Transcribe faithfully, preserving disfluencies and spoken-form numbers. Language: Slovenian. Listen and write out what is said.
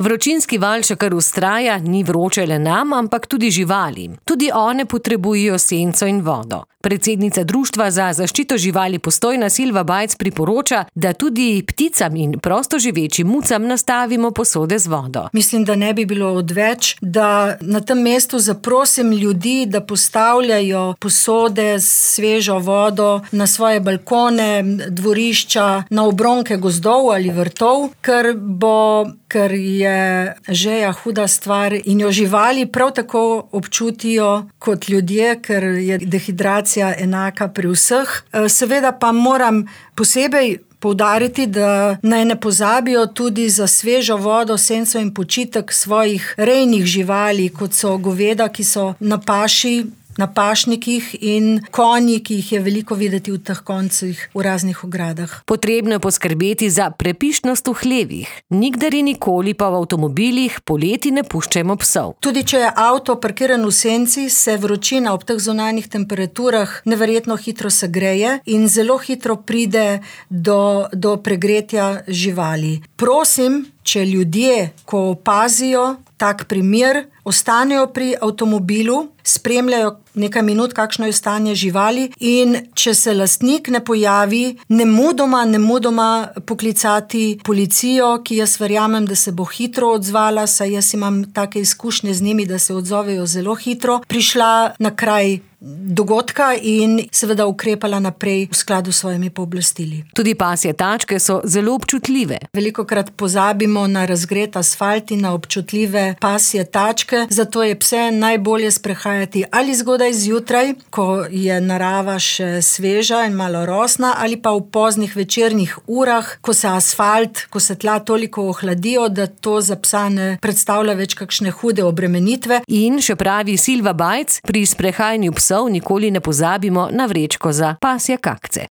Vročinski val še kar vztraja, ni vroče le nam, ampak tudi živalim. Tudi one potrebujejo senco in vodo. Predsednica Društva za zaščito živali Postojna Silva Bajc priporoča, da tudi pticam in prostoživečim mucam nastavimo posode z vodo. Mislim, da ne bi bilo odveč, da na tem mestu zaprosim ljudi, da postavljajo posode s svežo vodo na svoje balkone, dvorišča, na obronke gozdov ali vrtov, ker bo, ker je žeja huda stvar in jo živali prav tako občutijo kot ljudje, ker je dehidracija enaka pri vseh. Seveda pa moram posebej poudariti, da naj ne pozabijo tudi za svežo vodo, senco in počitek svojih rejnih živali, kot so goveda, ki so na paši, na pašnikih, in konji, ki jih je veliko videti v teh koncih v raznih ogradah. Potrebno je poskrbeti za prepišnost v hlevih. Nikdar in nikoli pa v avtomobilih poleti ne puščajmo psov. Tudi če je avto parkiran v senci, se vročina ob teh zunanjih temperaturah neverjetno hitro segreje in zelo hitro pride do, do pregretja živali. Prosim, če ljudje, ko opazijo tak primer, ostanejo pri avtomobilu, spremljajo nekaj minut, kakšno je stanje živali, in če se lastnik ne pojavi, nemudoma, nemudoma poklicati policijo, ki jaz verjamem, da se bo hitro odzvala, saj jaz imam take izkušnje z njimi, da se odzovejo zelo hitro, prišla na kraj dogodka in seveda ukrepala naprej v skladu s svojimi pooblastili. Tudi pasje tačke so zelo občutljive. Velikokrat pozabimo na razgret asfalt in na občutljive pasje tačke, zato je pse najbolje sprehajati ali zgodaj zjutraj, ko je narava še sveža in malo rosna, ali pa v poznih večernih urah, ko se asfalt, ko se tla toliko ohladijo, da to za psa ne predstavlja več kakšne hude obremenitve. In še pravi Silva Bajc, pri sprehajanju psov nikoli ne pozabimo na vrečko za pasje kakce.